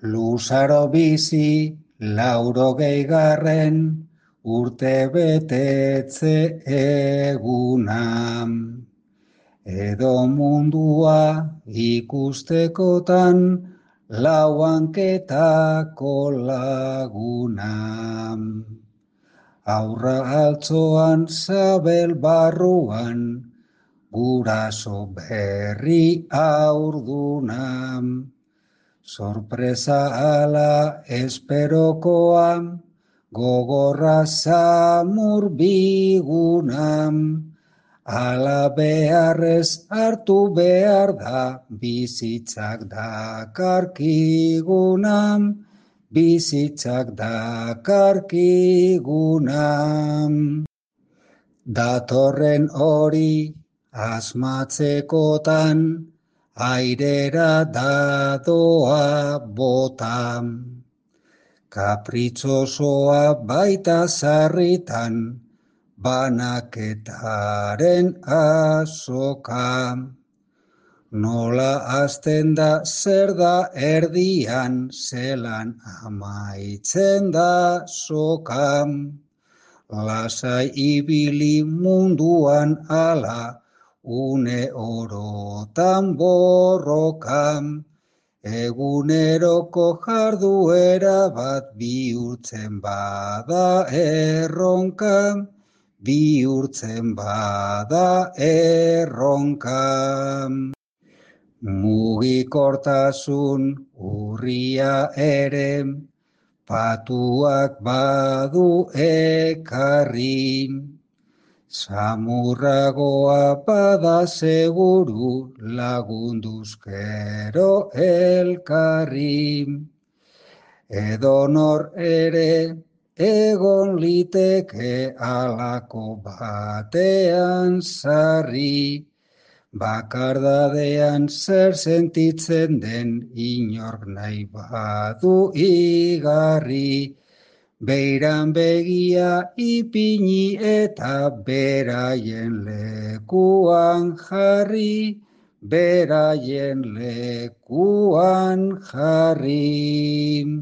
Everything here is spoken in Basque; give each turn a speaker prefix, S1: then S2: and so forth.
S1: Luzaro bizi, 80. Urte betetze eguna. Edo mundua ikustekotan, lauanketako laguna. Aurra altzoan, sabel barruan, guraso berri aurduna. Sorpresa ala esperokoa, gogorra samur biguna. Ala beharrez hartu behar da, bizitzak dakarkiguna. Bizitzak dakarkiguna. Datorren hori asmatzekotan, airera dadoa botan. Kapritzosoa baita sarritan, banaketaren azoka. Nola hasten da, zer da erdian, zelan amaitzen da soka. Lasai ibili munduan ala, une orotan borroka. Eguneroko jarduera bat bihurtzen bada erronka. Bihurtzen bada erronka. Mugikortasun urria ere, patuak badu ekarri. Samurragoa bada seguru, lagunduzkero elkarri. Edonor ere egon liteke alako batean sarri. Bakardadean zer sentitzen den, inork nahi badu igarri. Beiran begia ipini eta beraien lekuan jarri. Beraien lekuan jarri.